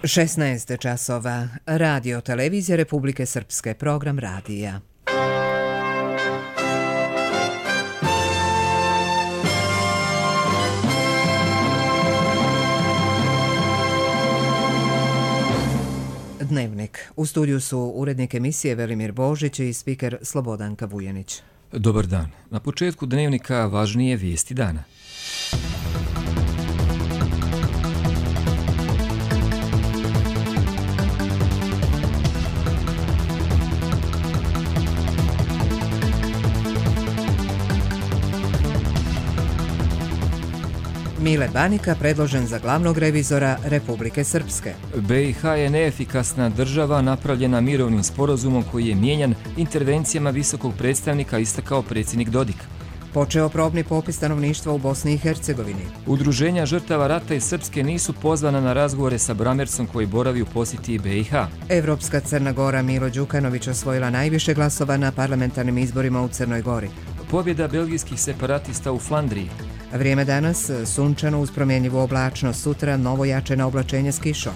16 časova. Radio televizija Republike Srpske, program radija. Dnevnik. U studiju su urednik emisije Velimir Božić i spiker Slobodanka Vujanić. Dobar dan. Na početku dnevnika važnije vijesti dana. Mile Banika predložen za glavnog revizora Republike Srpske. BiH je neefikasna država napravljena mirovnim sporazumom koji je mijenjan intervencijama visokog predstavnika, istakao predsjednik Dodik. Počeo probni popis stanovništva u Bosni i Hercegovini. Udruženja žrtava rata iz Srpske nisu pozvana na razgovore sa Bramercom koji boravi u posjeti BiH. Evropska Crna Gora Milo Đukanović osvojila najviše glasova na parlamentarnim izborima u Crnoj Gori. Pobjeda belgijskih separatista u Flandriji. Vrijeme danas sunčano uz promjenjivu oblačnost, sutra novo jačeno oblačenje s kišom.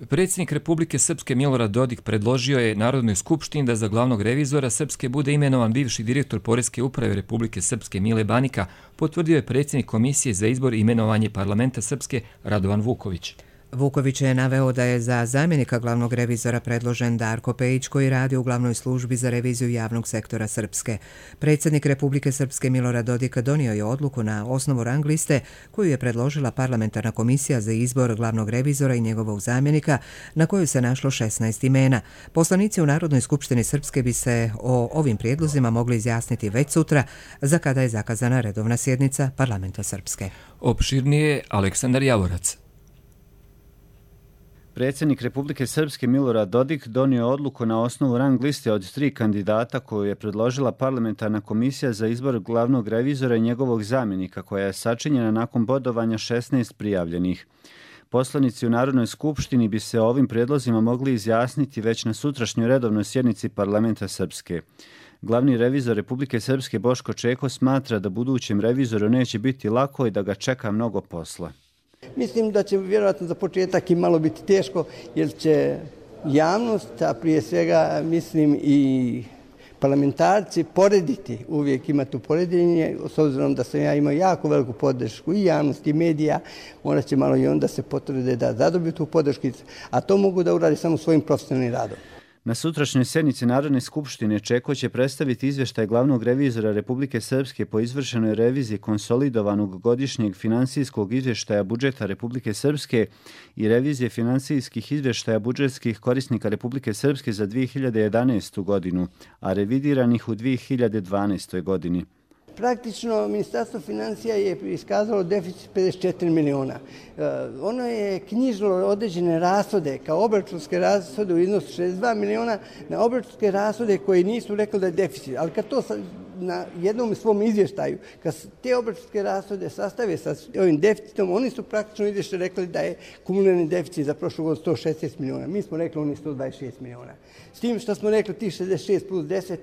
Predsjednik Republike Srpske Milorad Dodik predložio je Narodnoj skupštini da za glavnog revizora Srpske bude imenovan bivši direktor Poreske uprave Republike Srpske Mile Banika, potvrdio je predsjednik Komisije za izbor i imenovanje Parlamenta Srpske Radovan Vuković. Vuković je naveo da je za zamjenika glavnog revizora predložen Darko Pejić koji radi u glavnoj službi za reviziju javnog sektora Srpske. Predsjednik Republike Srpske Milorad Dodik donio je odluku na osnovu rang liste koju je predložila parlamentarna komisija za izbor glavnog revizora i njegovog zamjenika, na koju se našlo 16 imena. Poslanici u Narodnoj skupštini Srpske bi se o ovim prijedlozima mogli izjasniti već sutra, za kada je zakazana redovna sjednica parlamenta Srpske. Opširnije Aleksandar Javorac. Predsjednik Republike Srpske Milorad Dodik donio odluku na osnovu rang liste od 3 kandidata koju je predložila parlamentarna komisija za izbor glavnog revizora i njegovog zamjenika, koja je sačinjena nakon bodovanja 16 prijavljenih. Poslanici u Narodnoj skupštini bi se o ovim prijedlozima mogli izjasniti već na sutrašnjoj redovnoj sjednici parlamenta Srpske. Glavni revizor Republike Srpske Boško Čeko smatra da budućem revizoru neće biti lako i da ga čeka mnogo posla. Mislim da će vjerojatno za početak i malo biti teško, jer će javnost, a prije svega mislim i parlamentarci, porediti, uvijek ima tu poređenje, s obzirom da sam ja imao jako veliku podršku i javnosti i medija, morat će malo i onda se potrude da zadobiju tu podršku, a to mogu da uradi samo svojim profesionalnim radom. Na sutrašnjoj sjednici Narodne skupštine Čeko će predstaviti izvještaj glavnog revizora Republike Srpske po izvršenoj reviziji konsolidovanog godišnjeg finansijskog izvještaja budžeta Republike Srpske i revizije finansijskih izvještaja budžetskih korisnika Republike Srpske za 2011. godinu, a revidiranih u 2012. godini. Praktično, Ministarstvo financija je iskazalo deficit 54 miliona. Ono je knjižilo određene rashode, kao obračunske rashode u iznosu 62 miliona, na obračunske rashode koji nisu rekli da je deficit. Ali kad to na jednom svom izvještaju, kad te obračunske rashode sastave sa ovim deficitom, oni su praktično izvještaju rekli da je kumulirani deficit za prošlu godinu 116 miliona. Mi smo rekli oni 126 miliona. S tim što smo rekli tih 66 plus 10,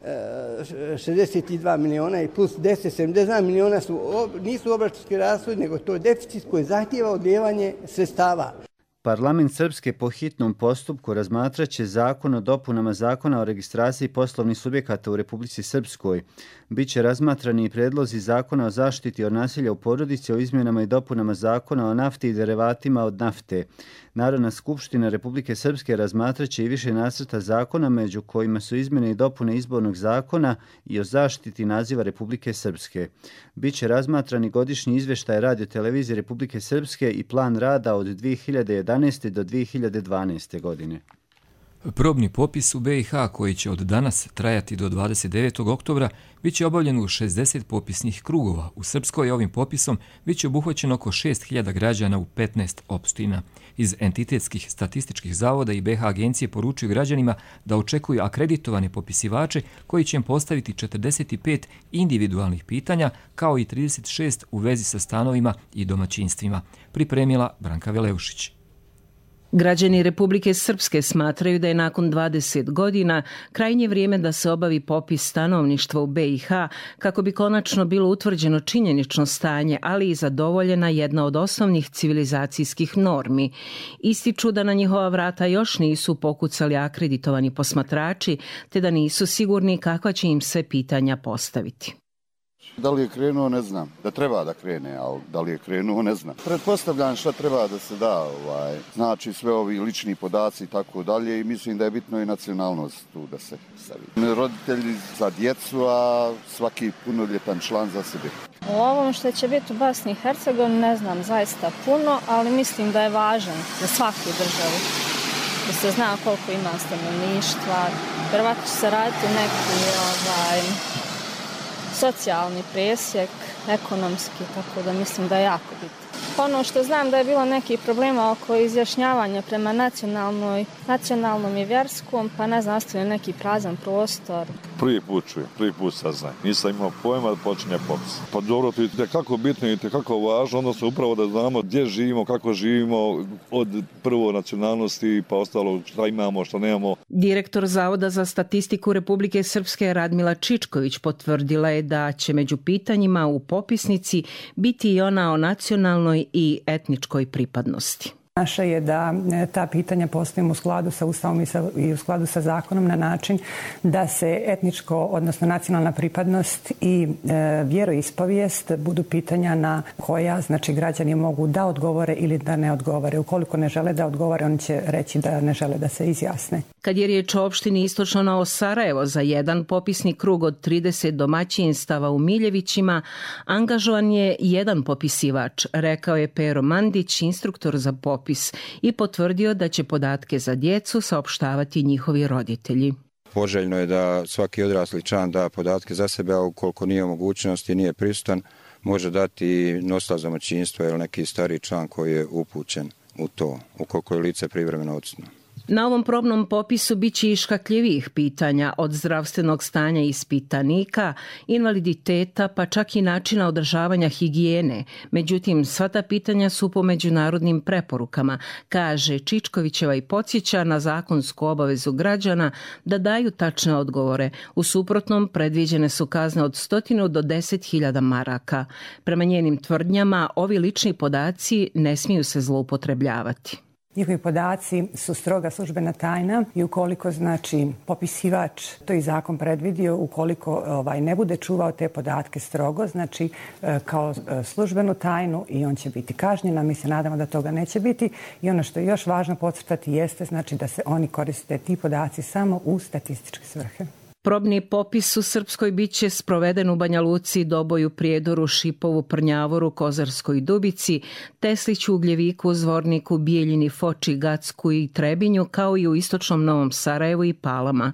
62 miliona i plus 10, 72 miliona nisu obračunski rashodi, nego to je deficit koji zahtijeva odlijevanje sredstava. Parlament Srpske po hitnom postupku razmatraće zakon o dopunama zakona o registraciji poslovnih subjekata u Republici Srpskoj. Biće razmatrani i predlozi zakona o zaštiti od nasilja u porodici, o izmjenama i dopunama zakona o nafti i derivatima od nafte. Narodna skupština Republike Srpske razmatraće i više nacrta zakona, među kojima su izmjene i dopune izbornog zakona i o zaštiti naziva Republike Srpske. Biće razmatrani godišnji izvještaj Radio televizije Republike Srpske i plan rada od 2011. do 2012. godine. Probni popis u BiH, koji će od danas trajati do 29. oktobra, bit će obavljen u 60 popisnih krugova. U Srpskoj ovim popisom bit će obuhvaćeno oko 6.000 građana u 15 opština. Iz entitetskih statističkih zavoda i BiH agencije poručuju građanima da očekuju akreditovane popisivače koji će im postaviti 45 individualnih pitanja, kao i 36 u vezi sa stanovima i domaćinstvima. Pripremila Branka Veleušić. Građani Republike Srpske smatraju da je nakon 20 godina krajnje vrijeme da se obavi popis stanovništva u BiH kako bi konačno bilo utvrđeno činjenično stanje, ali i zadovoljena jedna od osnovnih civilizacijskih normi. Ističu da na njihova vrata još nisu pokucali akreditovani posmatrači, te da nisu sigurni kakva će im se pitanja postaviti. Da li je krenuo, ne znam. Da treba da krene, ali da li je krenuo, ne znam. Pretpostavljam šta treba da se da, znači sve ovi lični podaci i tako dalje i mislim da je bitno i nacionalnost tu da se stavi. Roditelji za djecu, a svaki punoljetan član za sebe. O ovom što će biti u Bosni i Hercegovini ne znam zaista puno, ali mislim da je važan za svaku državu. Da se zna koliko ima stanovništva, vjerovatno će se raditi neki socijalni presjek, ekonomski, tako da mislim da je jako bitno. Ono što znam da je bilo nekih problema oko izjašnjavanja prema nacionalnom i vjerskom, pa ne znam, ostavio neki prazan prostor. Prvi put čujem, prvi put saznam. Nisam imao pojma da počinje popis. Pa dobro, to je itekako bitno i itekako važno, odnosno upravo da znamo gdje živimo, kako živimo, od prvo nacionalnosti pa ostalo šta imamo, šta nemamo. Direktor Zavoda za statistiku Republike Srpske Radmila Čičković potvrdila je da će među pitanjima u popisnici biti i ona o nacionalnoj i etničkoj pripadnosti. Naše je da ta pitanja postavimo u skladu sa Ustavom i u skladu sa zakonom na način da se etničko, odnosno nacionalna pripadnost i vjeroispovijest budu pitanja na koja, znači, građani mogu da odgovore ili da ne odgovore. Ukoliko ne žele da odgovore, oni će reći da ne žele da se izjasne. Kad je riječ o opštini Istočno Novo Sarajevo, za jedan popisni krug od 30 domaćinstava u Miljevićima angažovan je jedan popisivač, rekao je Pero Mandić, instruktor za popis, i potvrdio da će podatke za djecu saopštavati njihovi roditelji. Poželjno je da svaki odrasli član da podatke za sebe, a ukoliko nije u mogućnosti, nije prisutan, može dati nosilac domaćinstva ili neki stariji član koji je upućen u to, ukoliko je lice privremeno odsutno. Na ovom probnom popisu bit će i škakljivih pitanja, od zdravstvenog stanja ispitanika, invaliditeta, pa čak i načina održavanja higijene. Međutim, sva ta pitanja su po međunarodnim preporukama, kaže Čičkovićeva i podsjeća na zakonsku obavezu građana da daju tačne odgovore. U suprotnom, predviđene su kazne od 100 do 10.000 maraka. Prema njenim tvrdnjama, ovi lični podaci ne smiju se zloupotrebljavati. Njihovi podaci su stroga službena tajna i ukoliko, znači, popisivač, to i zakon predvidio, ukoliko ne bude čuvao te podatke strogo, znači kao službenu tajnu, i on će biti kažnjen, a mi se nadamo da toga neće biti. I ono što je još važno podcrtati jeste, znači, da se oni koriste ti podaci samo u statističke svrhe. Probni popis u Srpskoj bit će sproveden u Banja Luci, Doboju, Prijedoru, Šipovu, Prnjavoru, Kozarskoj Dubici, Tesliću, Ugljeviku, Zvorniku, Bijeljini, Foči, Gacku i Trebinju, kao i u Istočnom Novom Sarajevu i Palama.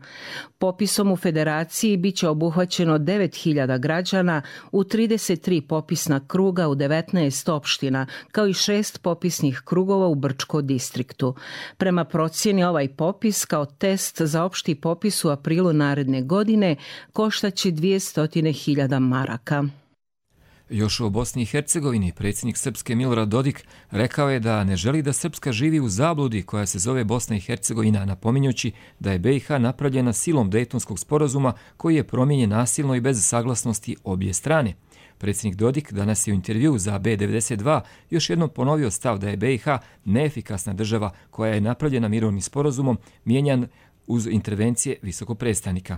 Popisom u Federaciji bit će obuhvaćeno 9.000 građana u 33 popisna kruga u 19 opština, kao i 6 popisnih krugova u Brčko distriktu. Prema procjeni, ovaj popis kao test za opšti popis u aprilu naredne godine koštaće 200.000 maraka. Još o Bosni i Hercegovini predsjednik Srpske Milorad Dodik rekao je da ne želi da Srpska živi u zabludi koja se zove Bosna i Hercegovina, napominjući da je BiH napravljena silom Dejtonskog sporazuma koji je promijenjen nasilno i bez saglasnosti obje strane. Predsjednik Dodik danas je u intervjuu za B92 još jednom ponovio stav da je BiH neefikasna država koja je napravljena mirovnim sporazumom, mijenjan uz intervencije visokog predstavnika.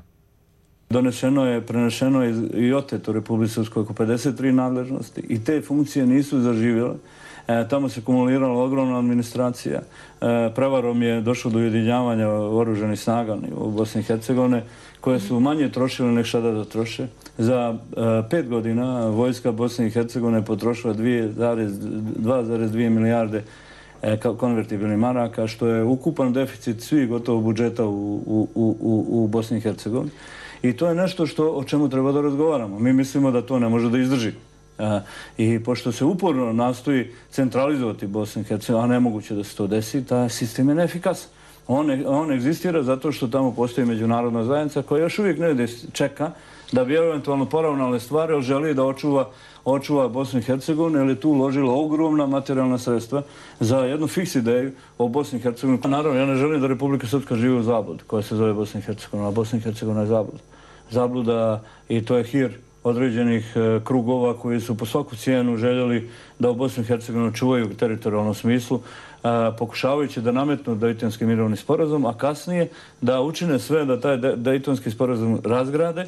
Prenešeno je i oteto Republike Srpskoj oko 53 nadležnosti i te funkcije nisu zaživjele. Tamo se kumulirala ogromna administracija. Prevarom je došlo do ujedinjavanja oružanih snaga u Bosni i Hercegovine koje su manje trošile nek šta da troše. Za 5 godina vojska Bosne i Hercegovine potrošila 2,2 milijarde konvertibilnih maraka, što je ukupan deficit svih gotovo budžeta u Bosni i Hercegovini. I to je nešto o čemu treba da razgovaramo. Mi mislimo da to ne može da izdrži. I pošto se uporno nastoji centralizovati Bosnu i Hercegovinu, a nemoguće da se to desi, taj sistem je neefikasan. On egzistira zato što tamo postoji međunarodna zajednica koja još uvijek ne čeka da bi eventualno poravnale stvari, ali želi da očuva Bosnu i Hercegovinu, jer je tu uložila ogromna materijalna sredstva za jednu fiks ideju o Bosni i Hercegovini. Naravno, ja ne želim da Republika Srpska živi u zabludi koja se zove Bosna i Hercegovina, a Bosna i Hercegovina je zabluda. Zabluda i to je hir određenih krugova koji su po svaku cijenu željeli da u Bosnu i Hercegovini čuvaju u teritorijalnom smislu, pokušavajući da nametnu Dejtonski mirovni sporazum, a kasnije da učine sve da taj Dejtonski sporazum razgrade,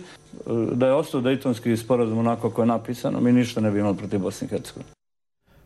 da je ostao Dejtonski sporazum onako kako je napisano, mi ništa ne bi imali protiv Bosne i Hercegovine.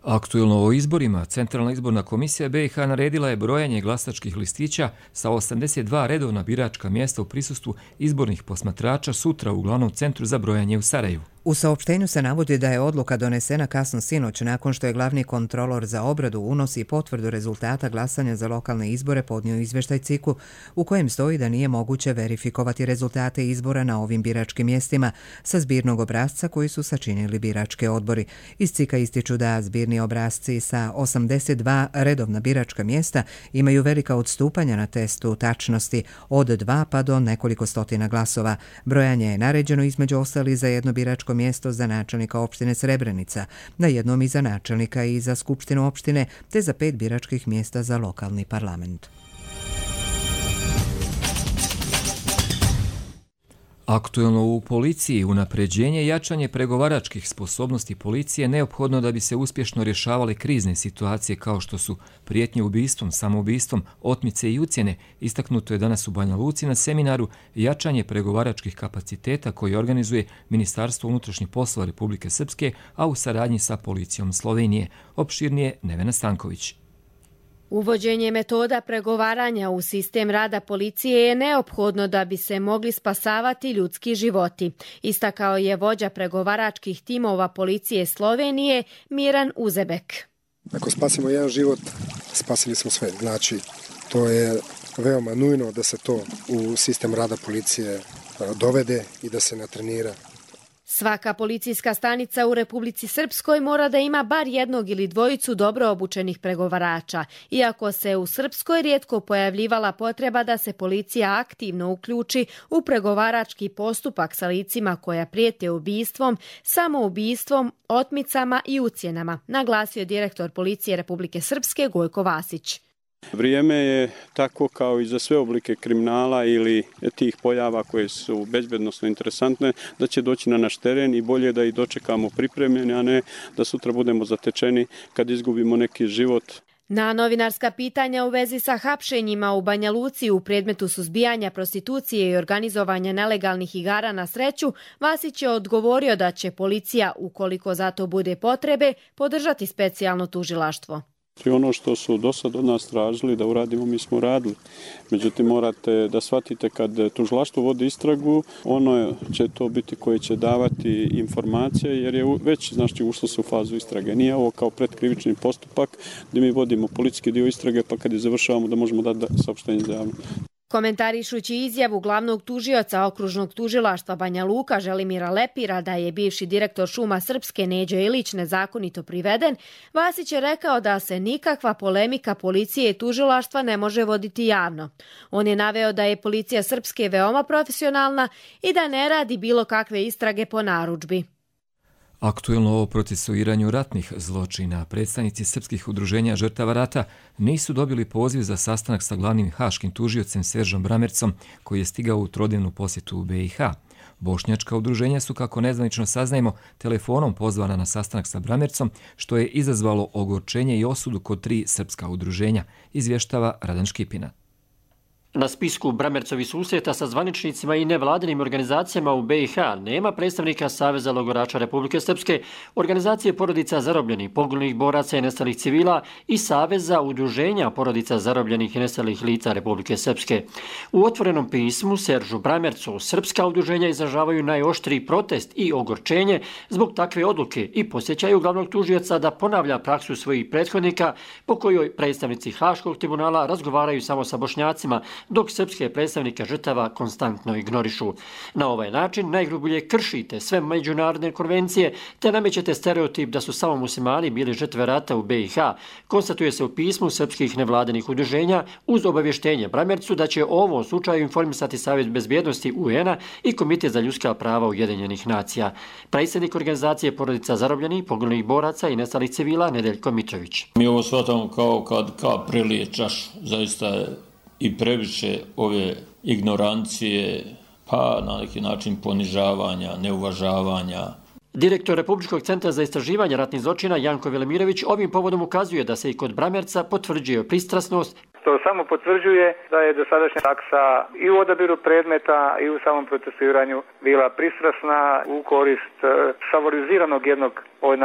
Aktuelno o izborima, Centralna izborna komisija BiH naredila je brojanje glasačkih listića sa 82 redovna biračka mjesta u prisustvu izbornih posmatrača sutra u glavnom centru za brojanje u Sarajevu. U saopštenju se navodi da je odluka donesena kasno sinoć nakon što je glavni kontrolor za obradu, unos i potvrdu rezultata glasanja za lokalne izbore podnio izvještaj CIK-u u kojem stoji da nije moguće verifikovati rezultate izbora na ovim biračkim mjestima sa zbirnog obrasca koji su sačinili biračke odbori. Iz CIK-a ističu da zbirni obrasci sa 82 redovna biračka mjesta imaju velika odstupanja na testu tačnosti od 2 pa do nekoliko stotina glasova. Brojanje je naređeno između ostali za jedno biračko mjesto za načelnika opštine Srebrenica, na jednom i za načelnika i za skupštinu opštine, te za 5 biračkih mjesta za lokalni parlament. Aktuelno u policiji, unapređenje i jačanje pregovaračkih sposobnosti policije neophodno da bi se uspješno rješavale krizne situacije kao što su prijetnje ubistvom, samoubistvom, otmice i ucjene, istaknuto je danas u Banja Luci na seminaru jačanje pregovaračkih kapaciteta koji organizuje Ministarstvo unutrašnjih poslova Republike Srpske, a u saradnji sa policijom Slovenije. Opširnije Nevena Stanković. Uvođenje metoda pregovaranja u sistem rada policije je neophodno da bi se mogli spasavati ljudski životi, istakao je vođa pregovaračkih timova policije Slovenije Miran Uzebek. Ako spasimo jedan život, spasili smo sve. Znači, to je veoma nujno da se to u sistem rada policije dovede i da se natrenira. Svaka policijska stanica u Republici Srpskoj mora da ima bar jednog ili dvojicu dobro obučenih pregovarača, iako se u Srpskoj rijetko pojavljivala potreba da se policija aktivno uključi u pregovarački postupak sa licima koja prijete ubistvom, samoubistvom, otmicama i ucjenama, naglasio direktor policije Republike Srpske Gojko Vasić. Vrijeme je tako kao i za sve oblike kriminala ili tih pojava koje su bezbednosno interesantne, da će doći na naš teren i bolje da ih dočekamo pripremljeni, a ne da sutra budemo zatečeni kad izgubimo neki život. Na novinarska pitanja u vezi sa hapšenjima u Banja Luci u predmetu suzbijanja prostitucije i organizovanja nelegalnih igara na sreću, Vasić je odgovorio da će policija, ukoliko za to bude potrebe, podržati specijalno tužilaštvo. I ono što su do sad od nas tražili da uradimo, mi smo radili. Međutim, morate da shvatite kad tužilaštvo vodi istragu, ono će to biti koje će davati informacije, jer je već ušlo se u fazu istrage. Nije ovo kao predkrivični postupak gdje mi vodimo policijski dio istrage, pa kad je završavamo da možemo dati saopštenje za javno. Komentarišući izjavu glavnog tužioca okružnog tužilaštva Banja Luka Želimira Lepira da je bivši direktor Šuma Srpske Neđo Ilić nezakonito priveden, Vasić je rekao da se nikakva polemika policije i tužilaštva ne može voditi javno. On je naveo da je policija Srpske veoma profesionalna i da ne radi bilo kakve istrage po narudžbi. Aktuelno o procesuiranju ratnih zločina, predstavnici srpskih udruženja žrtava rata nisu dobili poziv za sastanak sa glavnim haškim tužiocem Seržom Bramercom, koji je stigao u trodnevnu posjetu u BiH. Bošnjačka udruženja su, kako nezvanično saznajemo, telefonom pozvana na sastanak sa Bramercom, što je izazvalo ogorčenje i osudu kod 3 srpska udruženja, izvještava Radan Škipina. Na spisku Bramercovi susreta sa zvaničnicima i nevladinim organizacijama u BiH nema predstavnika Saveza logorača Republike Srpske, organizacije porodica zarobljenih, poginulih boraca i nestalih civila i Saveza udruženja porodica zarobljenih i nestalih lica Republike Srpske. U otvorenom pismu Seržu Bramercu srpska udruženja izražavaju najoštriji protest i ogorčenje zbog takve odluke i posjećaju glavnog tužioca da ponavlja praksu svojih prethodnika po kojoj predstavnici Haškog tribunala razgovaraju samo sa Bošnjacima, dok srpske predstavnike žrtava konstantno ignorišu. Na ovaj način najgrublje kršite sve međunarodne konvencije te namećete stereotip da su samo muslimani bili žrtve rata u BiH, konstatuje se u pismu srpskih nevladinih udruženja uz obavještenje Bramercu da će o ovom slučaju informisati Savjet bezbjednosti UN-a i Komitet za ljudska prava Ujedinjenih nacija. Predsjednik organizacije Porodica zarobljenih, poginulih boraca i nestalih civila Nedeljko Mitrović. Mi ovo shvatamo kao kad prelije čašu. Zaista je i previše ove ignorancije, pa na neki način ponižavanja, neuvažavanja. Direktor Republičkog centra za istraživanje ratnih zločina Janko Velimirović ovim povodom ukazuje da se i kod Bramerca potvrđuje pristrasnost. To samo potvrđuje da je dosadašnja taksa i u odabiru predmeta i u samom procesuiranju bila pristrasna u korist favoriziranog jednog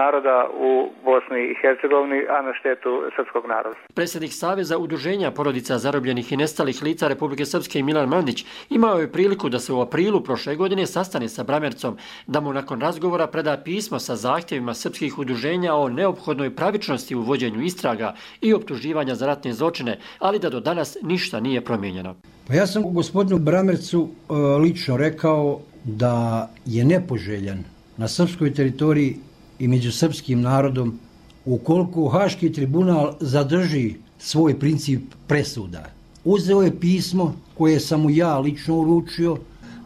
naroda u Bosni i Hercegovini, a na štetu srpskog naroda. Predsjednik Saveza udruženja Porodica zarobljenih i nestalih lica Republike Srpske Milan Mandić imao je priliku da se u aprilu prošle godine sastane sa Bramercom, da mu nakon razgovora preda pismo sa zahtjevima srpskih udruženja o neophodnoj pravičnosti u vođenju istraga i optuživanja za ratne zločine, ali da do danas ništa nije promijenjeno. Pa ja sam gospodinu Bramercu lično rekao da je nepoželjan na srpskoj teritoriji i među srpskim narodom ukoliko Haški tribunal zadrži svoj princip presuda. Uzeo je pismo koje sam mu ja lično uručio.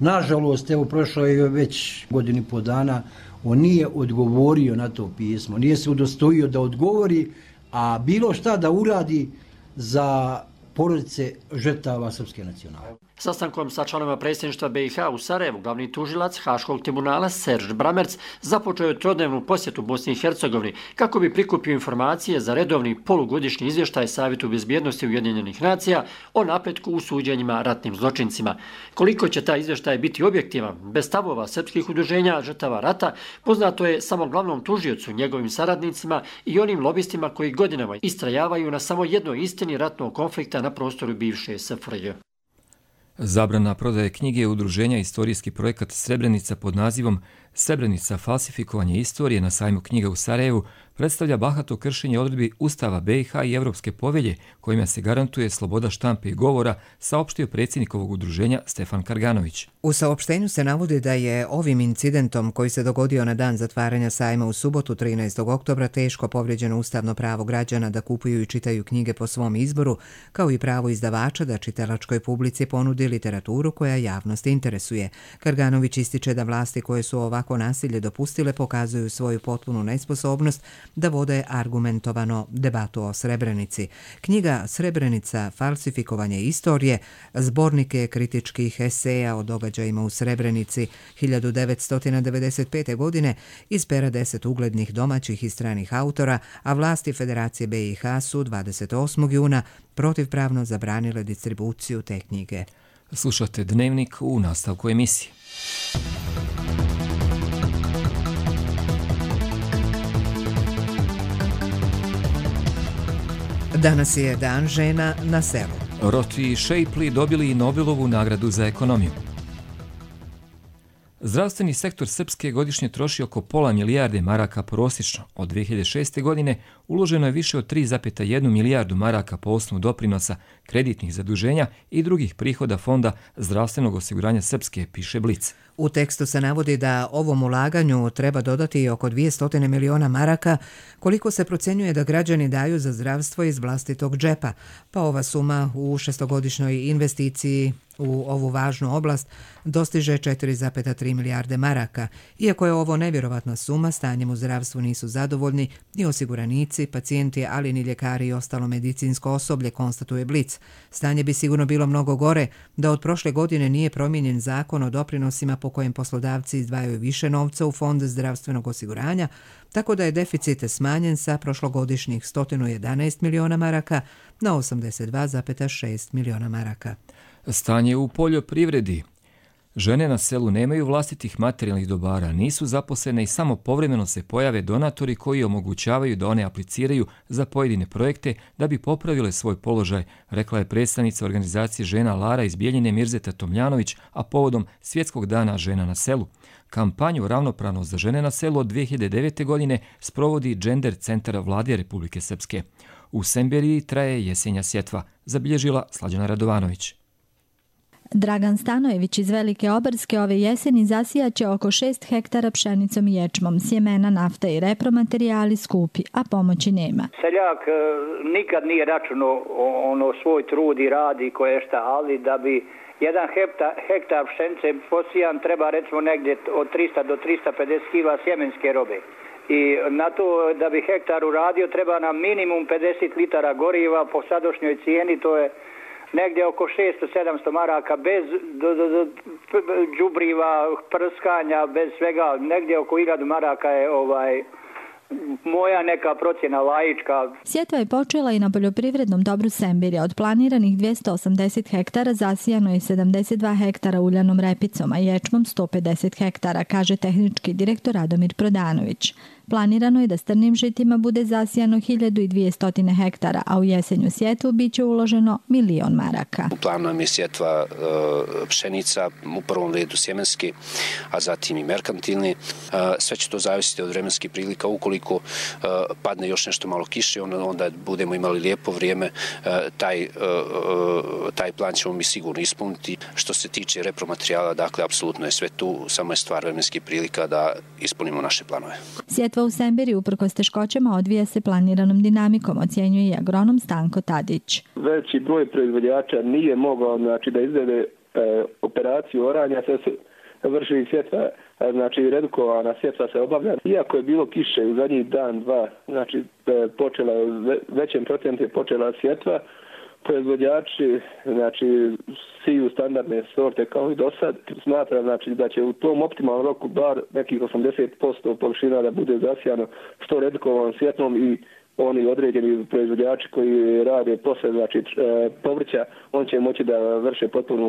Nažalost, evo prošlo je već 1.5 dana, on nije odgovorio na to pismo, nije se udostojio da odgovori, a bilo šta da uradi za porodice žrtava srpske nacionalne. Sastankom sa članovima predsjedništva BiH u Sarajevu, glavni tužilac Haškog tribunala Serž Bramerc započeo je trodnevnu posjetu Bosni i Hercegovini kako bi prikupio informacije za redovni polugodišnji izvještaj Savjetu bezbjednosti Ujedinjenih nacija o napretku u suđenjima ratnim zločincima. Koliko će taj izvještaj biti objektivan, bez stavova srpskih udruženja žrtava rata, poznato je samo glavnom tužiocu, njegovim saradnicima i onim lobistima koji godinama istrajavaju na samo jednoj istini ratnog konflikta na prostoru bivše SFRJ. Zabrana prodaje knjige udruženja Istorijski projekat Srebrenica pod nazivom Srebrenica falsifikovanje istorije na sajmu knjiga u Sarajevu predstavlja bahato kršenje odredbi Ustava BiH i Evropske povelje kojima se garantuje sloboda štampe i govora, saopštio predsjednik ovog udruženja Stefan Karganović. U saopštenju se navodi da je ovim incidentom koji se dogodio na dan zatvaranja sajma u subotu 13. oktobra teško povrijeđeno ustavno pravo građana da kupuju i čitaju knjige po svom izboru, kao i pravo izdavača da čitalačkoj publici ponudi literaturu koja javnost interesuje. Karganović ističe da vlasti koje su ovako nasilje dopustile pokazuju svoju potpunu nesposobnost da vode argumentovano debatu o Srebrenici. Knjiga Srebrenica falsifikovanje istorije zbornik je kritičkih eseja o događajima u Srebrenici 1995. godine iz pera 10 uglednih domaćih i stranih autora, a vlasti Federacije BiH su 28. juna protivpravno zabranile distribuciju te knjige. Slušate Dnevnik u nastavku emisije. Danas je Dan žena na selu. Roti Shapley dobili i Nobelovu nagradu za ekonomiju. Zdravstveni sektor Srpske godišnje troši oko pola milijarde maraka prosječno. Od 2006. godine uloženo je više od 3,1 milijardu maraka po osnovu doprinosa, kreditnih zaduženja i drugih prihoda Fonda zdravstvenog osiguranja Srpske, piše Blic. U tekstu se navodi da ovom ulaganju treba dodati oko 200 miliona maraka, koliko se procjenjuje da građani daju za zdravstvo iz vlastitog džepa, pa ova suma u šestogodišnjoj investiciji u ovu važnu oblast dostiže 4,3 milijarde maraka. Iako je ovo nevjerovatna suma, stanjem u zdravstvu nisu zadovoljni ni osiguranici, pacijenti, ali ni ljekari i ostalo medicinsko osoblje, konstatuje Blic. Stanje bi sigurno bilo mnogo gore da od prošle godine nije promijenjen zakon o doprinosima po kojem poslodavci izdvajaju više novca u Fond zdravstvenog osiguranja, tako da je deficit smanjen sa prošlogodišnjih 111 miliona maraka na 82,6 miliona maraka. Stanje u poljoprivredi. Žene na selu nemaju vlastitih materijalnih dobara, nisu zaposlene i samo povremeno se pojave donatori koji omogućavaju da one apliciraju za pojedine projekte da bi popravile svoj položaj, rekla je predstavnica organizacije žena Lara iz Bijeljine Mirzeta Tomljanović, a povodom Svjetskog dana žena na selu. Kampanju Ravnopravnost za žene na selu od 2009. godine sprovodi Gender centar Vlade Republike Srpske. U Semberiji traje jesenja sjetva, zabilježila Slađana Radovanović. Dragan Stanojević iz Velike Obarske ove jeseni zasijaće oko 6 hektara pšenicom i ječmom, sjemena, nafta i repromaterijali skupi, a pomoći nema. Seljak nikad nije računao svoj trud i radi koje šta, ali da bi jedan hektar pšenice posijan treba recimo negdje od 300 do 350 kila sjemenske robe. I na to da bi hektar uradio treba nam minimum 50 litara goriva po sadašnjoj cijeni, to je negdje oko 600-700 maraka bez đubriva, prskanja, bez svega, negdje oko 1000 maraka je moja neka procjena laička. Sjetva je počela i na poljoprivrednom dobru Sembirja. Od planiranih 280 hektara zasijano je 72 hektara uljanom repicom, a ječmom 150 hektara, kaže tehnički direktor Radomir Prodanović. Planirano je da strnim žitima bude zasijano 1200 hektara, a u jesenju sjetvu biće uloženo 1.000.000 maraka. U planu nam je sjetva pšenica, u prvom redu sjemenski, a zatim i merkantilni. Sve će to zavisiti od vremenskih prilika. Ukoliko padne još nešto malo kiše, onda budemo imali lijepo vrijeme, taj plan ćemo mi sigurno ispuniti. Što se tiče repromaterijala, dakle, apsolutno je sve tu, samo je stvar vremenskih prilika da ispunimo naše planove. Sjetva u Sembirju uprkos teškoćama odvija se planiranom dinamikom, ocjenjuje i agronom Stanko Tadić. Veći broj proizvođača nije mogao da izvede operaciju oranja, sve se vrši sjetva, redukovana sjetva se obavlja. Iako je bilo kiše u zadnjih dan, dva, počela većem procentu je počela sjetva, proizvođači siju standardne sorte kao i do sad. Smatram da će u tom optimalnom roku bar nekih 80% površina da bude zasijano što redukovanom sjetvom i oni određeni proizvođači koji rade posle povrća, on će moći da vrše potpuno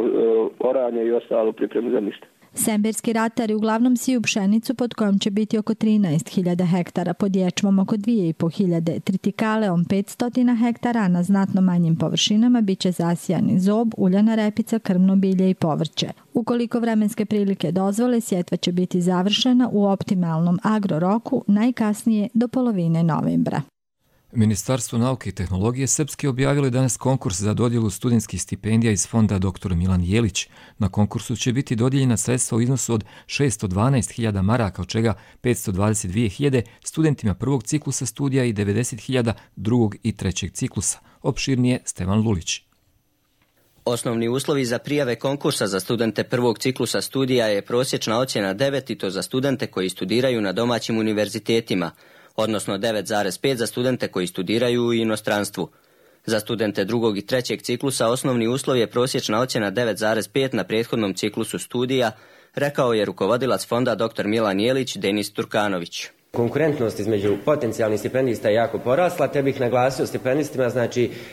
oranje i ostalo pripremu zemljišta. Sembirski ratari uglavnom siju pšenicu pod kojom će biti oko 13.000 hektara, pod ječmom oko 2.500, tritikaleom 500 hektara, a na znatno manjim površinama biće zasijani zob, uljana repica, krmno bilje i povrće. Ukoliko vremenske prilike dozvole, sjetva će biti završena u optimalnom agroroku najkasnije do polovine novembra. Ministarstvo nauke i tehnologije Srpske objavilo je danas konkurs za dodjelu studentskih stipendija iz fonda dr. Milan Jelić. Na konkursu će biti dodijeljena sredstva u iznosu od 612.000 maraka, od čega 522.000 studentima prvog ciklusa studija i 90.000 drugog i trećeg ciklusa. Opširnije Stevan Lulić. Osnovni uslovi za prijave konkursa za studente prvog ciklusa studija je prosječna ocjena 9 i to za studente koji studiraju na domaćim univerzitetima, odnosno 9,5 za studente koji studiraju u inostranstvu. Za studente drugog i trećeg ciklusa osnovni uslov je prosječna ocjena 9,5 na prethodnom ciklusu studija, rekao je rukovodilac fonda dr. Milan Jelić Denis Turkanović. Konkurentnost između potencijalnih stipendista je jako porasla, te bih naglasio stipendistima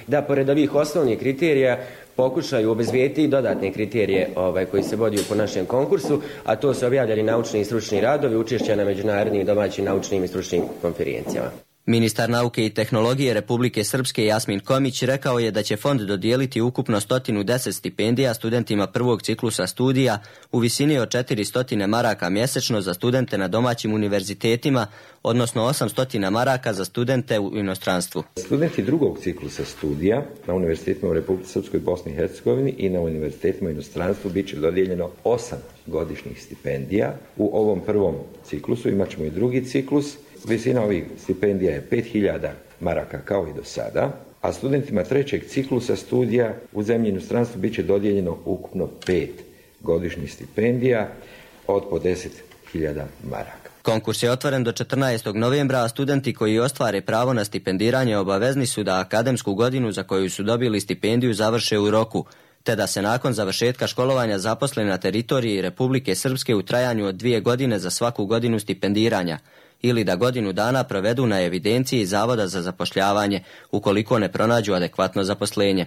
da pored ovih osnovnih kriterija pokušaju obezbijediti i dodatne kriterije koji se vodi po našem konkursu, a to su objavljeni naučni i stručni radovi, učešća na međunarodnim i domaćim naučnim i stručnim konferencijama. Ministar nauke i tehnologije Republike Srpske Jasmin Komić rekao je da će fond dodijeliti ukupno 110 stipendija studentima prvog ciklusa studija u visini od 400 maraka mjesečno za studente na domaćim univerzitetima, odnosno 800 maraka za studente u inostranstvu. Studenti drugog ciklusa studija na univerzitetima u Republici Srpskoj, Bosni i Hercegovini i na univerzitetima u inostranstvu bit će dodijeljeno 8 godišnjih stipendija. U ovom prvom ciklusu imat ćemo i drugi ciklus. Visina ovih stipendija je 5.000 maraka kao i do sada, a studentima trećeg ciklusa studija u zemlji i inostranstvu bit će dodijeljeno ukupno 5 godišnjih stipendija od po 10.000 maraka. Konkurs je otvoren do 14. novembra, a studenti koji ostvare pravo na stipendiranje obavezni su da akademsku godinu za koju su dobili stipendiju završe u roku, te da se nakon završetka školovanja zaposle na teritoriji Republike Srpske u trajanju od 2 godine za svaku godinu stipendiranja, ili da godinu dana provedu na evidenciji Zavoda za zapošljavanje, ukoliko ne pronađu adekvatno zaposlenje.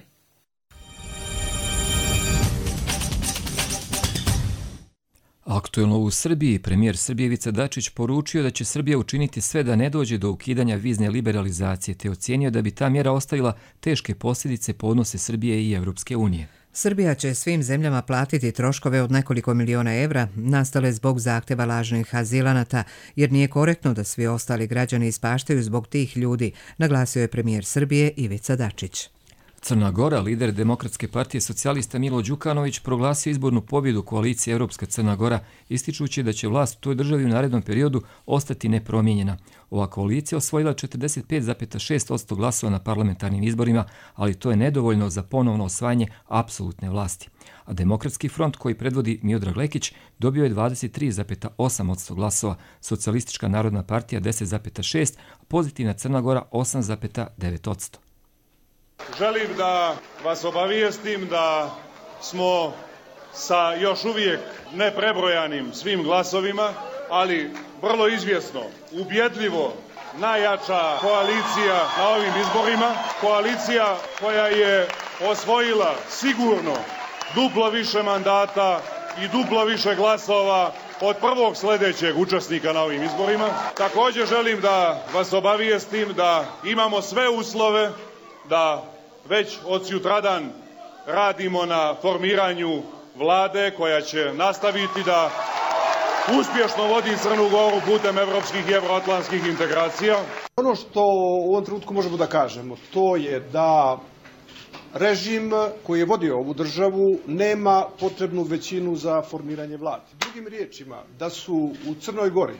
Aktuelno u Srbiji, premijer Srbije Ivica Dačić poručio da će Srbija učiniti sve da ne dođe do ukidanja vizne liberalizacije, te ocijenio da bi ta mjera ostavila teške posljedice po odnose Srbije i Evropske unije. Srbija će svim zemljama platiti troškove od nekoliko miliona evra nastale zbog zahtjeva lažnih azilanata, jer nije korektno da svi ostali građani ispaštaju zbog tih ljudi, naglasio je premijer Srbije Ivica Dačić. Crna Gora, lider Demokratske partije socijalista Milo Đukanović, proglasio izbornu pobjedu koalicije Europska Crna Gora, ističući da će vlast u toj državi u narednom periodu ostati nepromijenjena. Ova koalicija osvojila 45,6% glasova na parlamentarnim izborima, ali to je nedovoljno za ponovno osvajanje apsolutne vlasti. A Demokratski front, koji predvodi Miodrag Lekić, dobio je 23,8% glasova, Socijalistička narodna partija 10,6%, a Pozitivna Crna Gora 8,9%. Želim da vas obavijestim da smo sa još uvijek neprebrojanim svim glasovima, ali vrlo izvjesno, ubjedljivo najjača koalicija na ovim izborima, koalicija koja je osvojila sigurno duplo više mandata i duplo više glasova od prvog sljedećeg učesnika na ovim izborima. Također želim da vas obavijestim da imamo sve uslove da već od sutradan radimo na formiranju vlade koja će nastaviti da uspješno vodi Crnu Goru putem evropskih i evroatlantskih integracija. Ono što u ovom trenutku možemo da kažemo, to je da režim koji je vodio ovu državu nema potrebnu većinu za formiranje vlade. Drugim riječima, da su u Crnoj Gori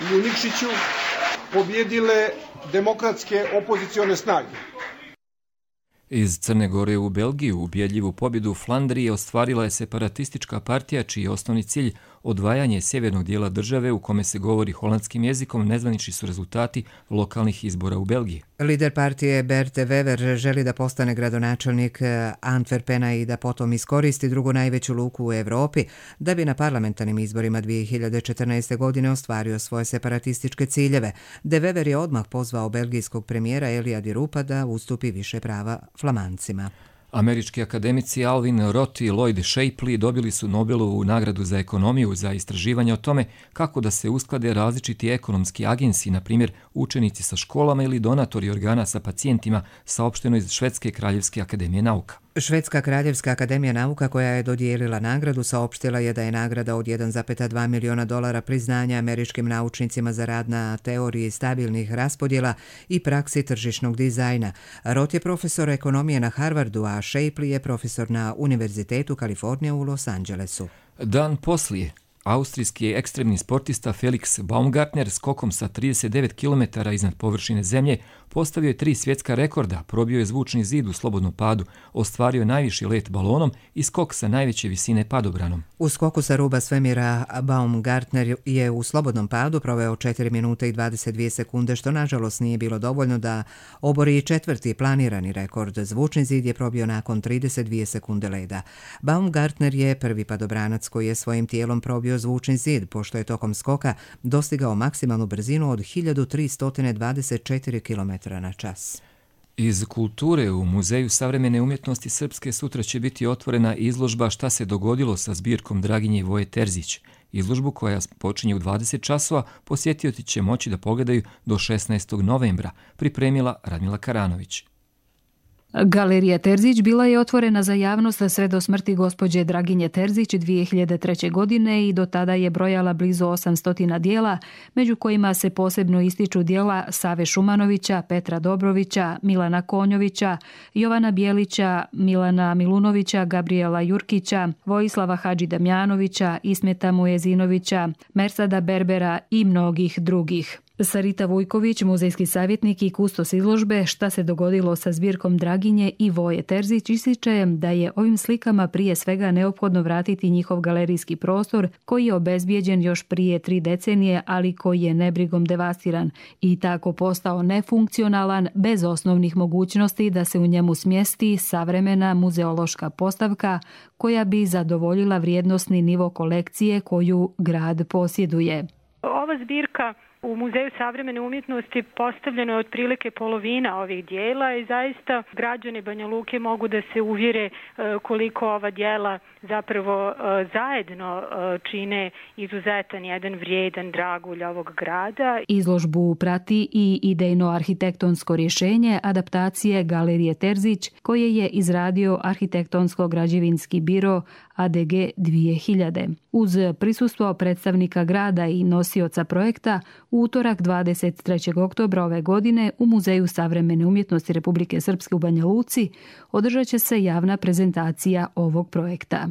i u Nikšiću pobjedile demokratske opozicione snage. Iz Crne Gore u Belgiju ubjedljivu pobjedu u Flandriji ostvarila je separatistička partija čiji je osnovni cilj odvajanje sjevernog dijela države u kome se govori holandskim jezikom. Nezvanični su rezultati lokalnih izbora u Belgiji. Lider partije Bert De Wever želi da postane gradonačelnik Antwerpena i da potom iskoristi drugu najveću luku u Evropi da bi na parlamentarnim izborima 2014. godine ostvario svoje separatističke ciljeve. De Wever je odmah pozvao belgijskog premijera Elija Di Rupa da ustupi više prava Flamancima. Američki akademici Alvin Roth i Lloyd Shapley dobili su Nobelovu nagradu za ekonomiju za istraživanje o tome kako da se usklade različiti ekonomski agensi, na primjer učenici sa školama ili donatori organa sa pacijentima, saopšteno iz Švedske kraljevske akademije nauka. Švedska kraljevska akademija nauka, koja je dodijelila nagradu, saopštila je da je nagrada od $1,2 miliona priznanja američkim naučnicima za rad na teoriji stabilnih raspodjela i praksi tržišnog dizajna. Roth je profesor ekonomije na Harvardu, a Shapley je profesor na Univerzitetu Kalifornije u Los Angelesu. Dan poslije, austrijski ekstremni sportista Felix Baumgartner skokom sa 39 km iznad površine zemlje postavio je 3 svjetska rekorda, probio je zvučni zid u slobodnom padu, ostvario najviši let balonom i skok sa najveće visine padobranom. U skoku sa ruba svemira Baumgartner je u slobodnom padu proveo 4 minute i 22 sekunde, što nažalost nije bilo dovoljno da obori četvrti planirani rekord. Zvučni zid je probio nakon 32 sekunde leda. Baumgartner je prvi padobranac koji je svojim tijelom probio zvučni zid, pošto je tokom skoka dostigao maksimalnu brzinu od 1324 km na čas. Iz kulture u Muzeju savremene umjetnosti Srpske sutra će biti otvorena izložba Šta se dogodilo sa zbirkom Draginje Voje Terzić. Izložbu, koja počinje u 20 časova, posjetioci će moći da pogledaju do 16. novembra, pripremila Radmila Karanović. Galerija Terzić bila je otvorena za javnost sve do smrti gospođe Draginje Terzić 2003. godine i do tada je brojala blizu 800 dijela, među kojima se posebno ističu dijela Save Šumanovića, Petra Dobrovića, Milana Konjovića, Jovana Bijelića, Milana Milunovića, Gabriela Jurkića, Vojislava Hadži Damjanovića, Ismeta Mujezinovića, Mersada Berbera i mnogih drugih. Sarita Vujković, muzejski savjetnik i kustos izložbe Šta se dogodilo sa zbirkom Draginje i Voje Terzić, ističe da je ovim slikama prije svega neophodno vratiti njihov galerijski prostor koji je obezbijeđen još prije 3 decenije, ali koji je nebrigom devastiran i tako postao nefunkcionalan bez osnovnih mogućnosti da se u njemu smjesti savremena muzeološka postavka koja bi zadovoljila vrijednosni nivo kolekcije koju grad posjeduje. Ova zbirka u Muzeju savremene umjetnosti postavljeno je otprilike polovina ovih dijela i zaista građani Banja Luke mogu da se uvjere koliko ova dijela zapravo zajedno čine izuzetan jedan vrijedan dragulj ovog grada. Izložbu prati i idejno-arhitektonsko rješenje adaptacije Galerije Terzić koje je izradio Arhitektonsko-građevinski biro ADG 2000. Uz prisustvo predstavnika grada i nosioca projekta, u U utorak 23. oktobra ove godine u Muzeju savremene umjetnosti Republike Srpske u Banja Luci održat će se javna prezentacija ovog projekta.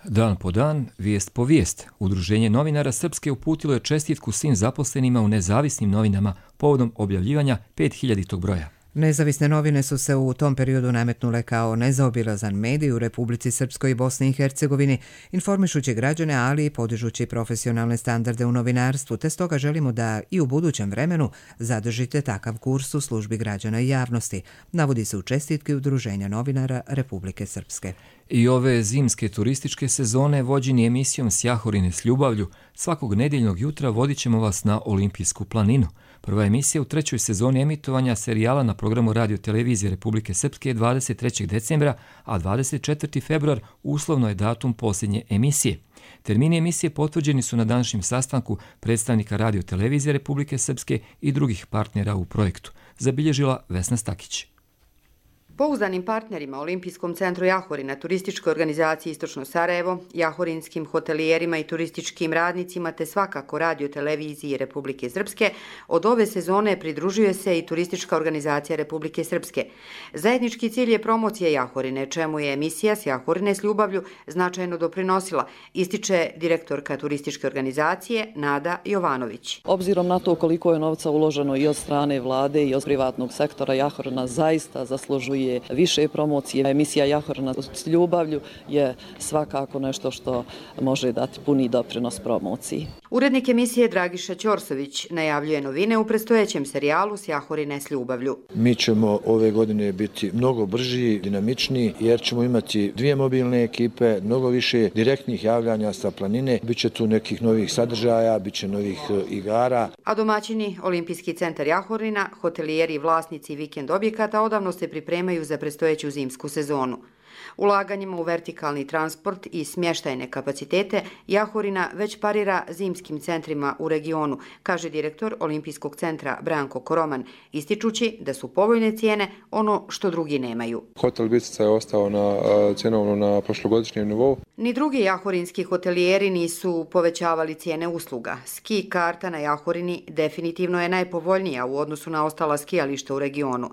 Dan po dan, vijest po vijest, Udruženje novinara Srpske uputilo je čestitku svim zaposlenima u nezavisnim novinama povodom objavljivanja 5000. broja. Nezavisne novine su se u tom periodu nametnule kao nezaobilazan medij u Republici Srpskoj i Bosni i Hercegovini, informišući građane, ali i podižući profesionalne standarde u novinarstvu, te stoga želimo da i u budućem vremenu zadržite takav kurs u službi građana i javnosti, navodi se u čestitki Udruženja novinara Republike Srpske. I ove zimske turističke sezone vođeni emisijom Sjahorine s ljubavlju, svakog nedjeljnog jutra vodit ćemo vas na Olimpijsku planinu. Prva emisija u 3. sezoni emitovanja serijala na programu Radio Televizije Republike Srpske je 23. decembra, a 24. februar uslovno je datum posljednje emisije. Termini emisije potvrđeni su na današnjem sastanku predstavnika Radio Televizije Republike Srpske i drugih partnera u projektu, zabilježila Vesna Stakić. Pouzdanim partnerima Olimpijskom centru Jahorina, turističkoj organizaciji Istočno Sarajevo, jahorinskim hotelijerima i turističkim radnicima te svakako Radio Televiziji Republike Srpske, od ove sezone pridružuje se i turistička organizacija Republike Srpske. Zajednički cilj je promocija Jahorine, čemu je emisija s Jahorine s ljubavlju značajno doprinosila, ističe direktorka turističke organizacije Nada Jovanović. Obzirom na to koliko je novca uloženo i od strane vlade i od privatnog sektora, Jahorina zaista zaslužuje više promocije. Emisija Jahorina s ljubavlju je svakako nešto što može dati puni doprinos promociji. Urednik emisije Dragiša Ćorsović najavljuje novine u predstojećem serijalu s Jahorine s ljubavlju. Mi ćemo ove godine biti mnogo brži, dinamičniji, jer ćemo imati 2 mobilne ekipe, mnogo više direktnih javljanja sa planine, biće tu nekih novih sadržaja, biće novih igara. A domaćini Olimpijski centar Jahorina, hotelijeri i vlasnici vikend objekata odavno se pripremaju za predstojeću zimsku sezonu. Ulaganjima u vertikalni transport i smještajne kapacitete Jahorina već parira zimskim centrima u regionu, kaže direktor Olimpijskog centra Branko Koroman, ističući da su povoljne cijene ono što drugi nemaju. Hotel Bistrica je ostao cjenovno na prošlogodišnjem nivou. Ni drugi jahorinski hotelijeri nisu povećavali cijene usluga. Ski karta na Jahorini definitivno je najpovoljnija u odnosu na ostala skijališta u regionu.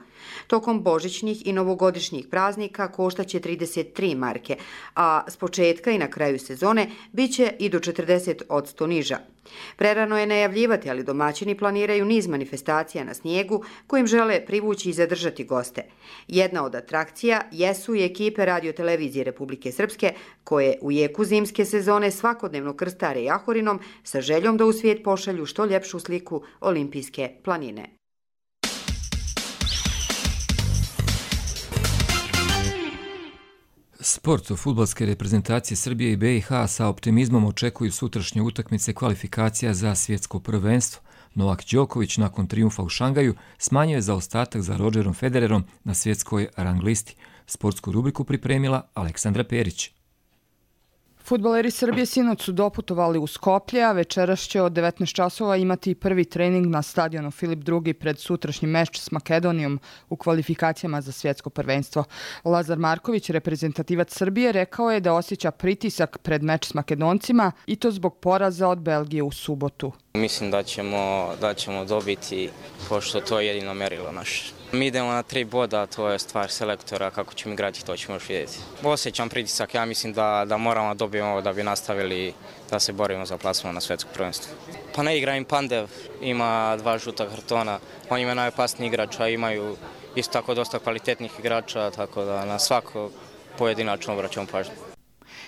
Tokom božićnih i novogodišnjih praznika koštaće 33 marke, a s početka i na kraju sezone biće i do 40% niža. Prerano je najavljivati, ali domaćini planiraju niz manifestacija na snijegu kojim žele privući i zadržati goste. Jedna od atrakcija jesu i ekipe Radio Televizije Republike Srpske, koje u jeku zimske sezone svakodnevno krstare Jahorinom sa željom da u svijet pošalju što ljepšu sliku Olimpijske planine. Sport fudbalske reprezentacije Srbije i BiH sa optimizmom očekuju sutrašnje utakmice kvalifikacija za svjetsko prvenstvo. Novak Đoković nakon trijumfa u Šangaju smanjio je zaostatak za Rodgerom Federerom na svjetskoj rang listi. Sportsku rubriku pripremila Aleksandra Perić. Fudbaleri Srbije sinoć su doputovali u Skoplje, a večeras će od 19 časova imati prvi trening na stadionu Filip II pred sutrašnji meč s Makedonijom u kvalifikacijama za svjetsko prvenstvo. Lazar Marković, reprezentativac Srbije, rekao je da osjeća pritisak pred meč s Makedoncima i to zbog poraza od Belgije u subotu. Mislim da ćemo dobiti, pošto to je jedino merilo naše. Mi idemo na 3 boda, to je stvar selektora, kako ćemo igrati, to ćemo još vidjeti. Osjećam pritisak, ja mislim da moramo dobiti ovo da bi nastavili da se borimo za plasman na svjetsko prvenstvo. Pa ne igra im Pandev, ima 2 žuta kartona, on ima najopasniji igrač, a imaju isto tako dosta kvalitetnih igrača, tako da na svako pojedinačno obraćamo pažnju.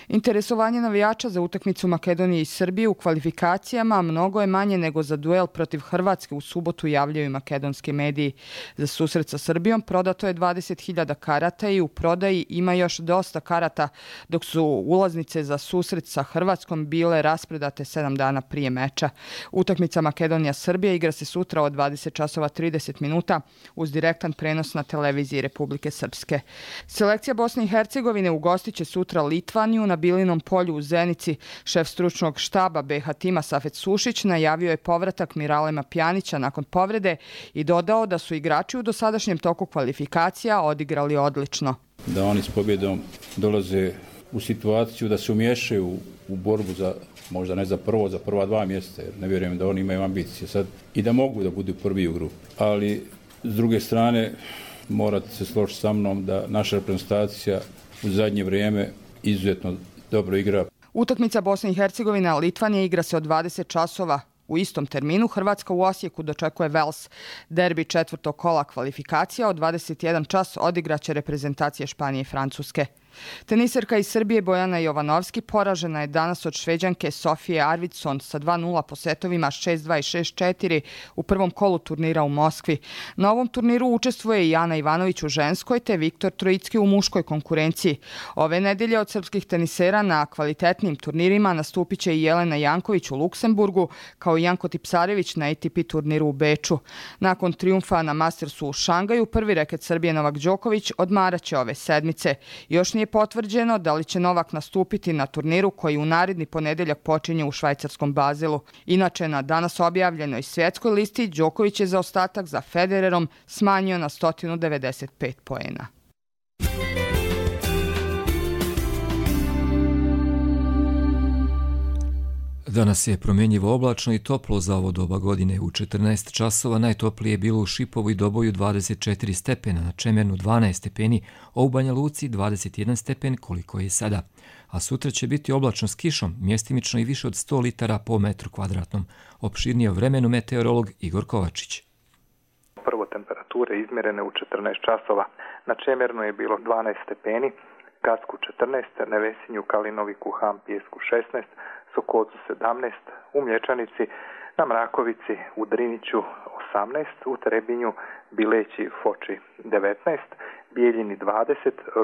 Interesovanje navijača za utakmicu Makedonije i Srbije u kvalifikacijama mnogo je manje nego za duel protiv Hrvatske u subotu, javljaju makedonski mediji. Za susret sa Srbijom prodato je 20.000 karata i u prodaji ima još dosta karata, dok su ulaznice za susret sa Hrvatskom bile raspredate 7 dana prije meča. Utakmica Makedonija-Srbija igra se sutra od 20 časova 30 minuta uz direktan prenos na televiziji Republike Srpske. Selekcija Bosne i Hercegovine ugostit će sutra Litvaniju na Bilinom polju u Zenici. Šef stručnog štaba BiH tima Safet Sušić najavio je povratak Miralema Pjanića nakon povrede i dodao da su igrači u dosadašnjem toku kvalifikacija odigrali odlično. Da oni s pobjedom dolaze u situaciju da se umiješaju u borbu za, možda ne za prva 2 mjeseca, jer ne vjerujem da oni imaju ambicije sad i da mogu da budu prvi u grupi. Ali, s druge strane, morate se složiti sa mnom da naša reprezentacija u zadnje vrijeme izuzetno dobro igra. Utakmica Bosne i Hercegovine, Litvanija igra se od 20 časova. U istom terminu Hrvatska u Osijeku dočekuje Vels. Derbi 4. kola kvalifikacija od 21 čas odigraće reprezentacije Španije i Francuske. Teniserka iz Srbije Bojana Jovanovski poražena je danas od Šveđanke Sofije Arvidsson sa 2-0 po setovima 6-2 i 6-4 u prvom kolu turnira u Moskvi. Na ovom turniru učestvuje i Ana Ivanović u ženskoj te Viktor Trojicki u muškoj konkurenciji. Ove nedelje od srpskih tenisera na kvalitetnim turnirima nastupit će i Jelena Janković u Luksemburgu kao i Janko Tipsarević na ATP turniru u Beču. Nakon trijumfa na Mastersu u Šangaju, prvi reket Srbije Novak Đoković odmaraće ove sedmice. Još nije potvrđeno da li će Novak nastupiti na turniru koji u naredni ponedeljak počinje u švajcarskom Bazelu. Inače, na danas objavljenoj svjetskoj listi Đoković je zaostatak za Federerom smanjio na 195 poena. Danas je promjenjivo oblačno i toplo za ovo doba godine. U 14 časova najtoplije je bilo u Šipovu i Doboju 24 stepena, na Čemernu 12 stepeni, a u Banja Luci 21 stepen koliko je sada. A sutra će biti oblačno s kišom, mjestimično i više od 100 litara po metru kvadratnom. Opširnije o vremenu meteorolog Igor Kovačić. Prvo temperature izmjerene u 14 časova. Na Čemernu je bilo 12 stepeni, Gacku 14, Nevesinju, Kalinoviku, Ham, Pijesku 16, Sokocu 17, u Mlječanici, na Mrakovici, u Driniću 18, u Trebinju, Bileći, Foči 19, Bijeljini 20,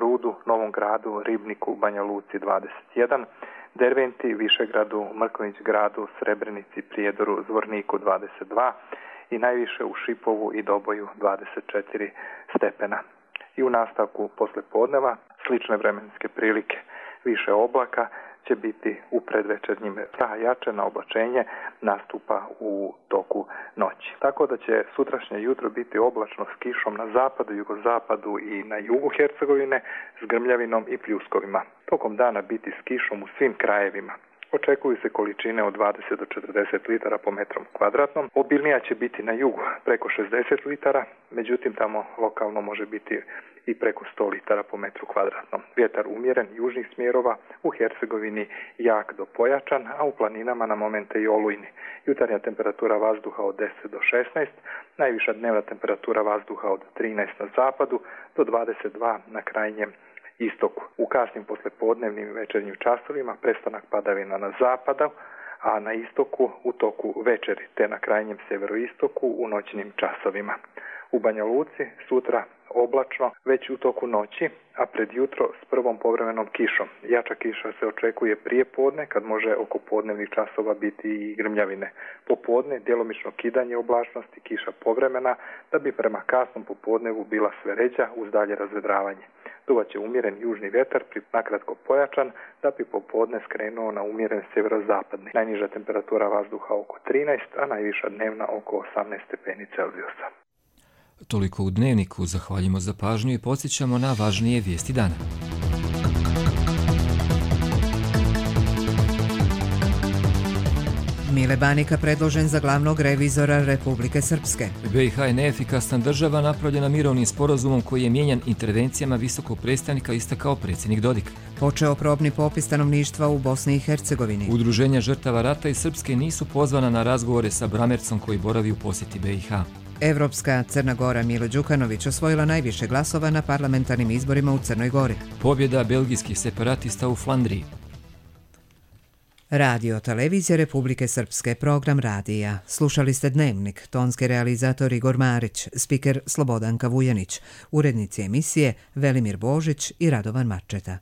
Rudu, Novom Gradu, Ribniku, Banja Luci 21, Derventi, Višegradu, Mrkonjić Gradu, Srebrenici, Prijedoru, Zvorniku 22 i najviše u Šipovu i Doboju 24 stepena. I u nastavku poslijepodneva slične vremenske prilike, više oblaka će biti u predvečernjim, jače na oblačenje nastupa u toku noći. Tako da će sutrašnje jutro biti oblačno s kišom na zapadu, jugozapadu i na jugu Hercegovine s grmljavinom i pljuskovima. Tokom dana biti s kišom u svim krajevima. Očekuju se količine od 20 do 40 litara po metrom kvadratnom. Obilnija će biti na jugu preko 60 litara, međutim tamo lokalno može biti i preko 100 litara po metru kvadratnom. Vjetar umjeren južnih smjerova, u Hercegovini jak do pojačan, a u planinama na momente i olujni. Jutarnja temperatura vazduha od 10 do 16, najviša dnevna temperatura vazduha od 13 na zapadu do 22 na krajnjem istoku. U kasnim poslijepodnevnim i večernjim časovima prestanak padavina na zapadu, a na istoku u toku večeri, te na krajnjem sjeveroistoku u noćnim časovima. U Banja Luci sutra oblačno već u toku noći, a pred jutro s prvom povremenom kišom. Jača kiša se očekuje prije podne, kad može oko podnevnih časova biti i grmljavine. Popodne djelomično kidanje oblačnosti, kiša povremena, da bi prema kasnom popodnevu bila sve ređa uz dalje razvedravanje. Duvat će umjeren južni vjetar, nakratko pojačan, da bi popodne skrenuo na umjeren sjeverozapadni. Najniža temperatura vazduha oko 13, a najviša dnevna oko 18 stepeni Celzijusa. Toliko u Dnevniku, zahvaljujemo za pažnju i podsjećamo na važnije vijesti dana. Mile Banika predložen za glavnog revizora Republike Srpske. BiH je neefikasna država napravljena mirovnim sporazumom koji je mijenjan intervencijama visokog predstavnika, istakao predsjednik Dodik. Počeo probni popis stanovništva u Bosni i Hercegovini. Udruženja žrtava rata iz Srpske nisu pozvana na razgovore sa Bramercom koji boravi u posjeti BiH. Evropska Crna Gora Milo Đukanović osvojila najviše glasova na parlamentarnim izborima u Crnoj Gori. Pobjeda belgijskih separatista u Flandriji. Radio Televizija Republike Srpske, program radija. Slušali ste Dnevnik, tonski realizator Igor Marić, spiker Slobodanka Vujanić, urednici emisije Velimir Božić i Radovan Marčeta.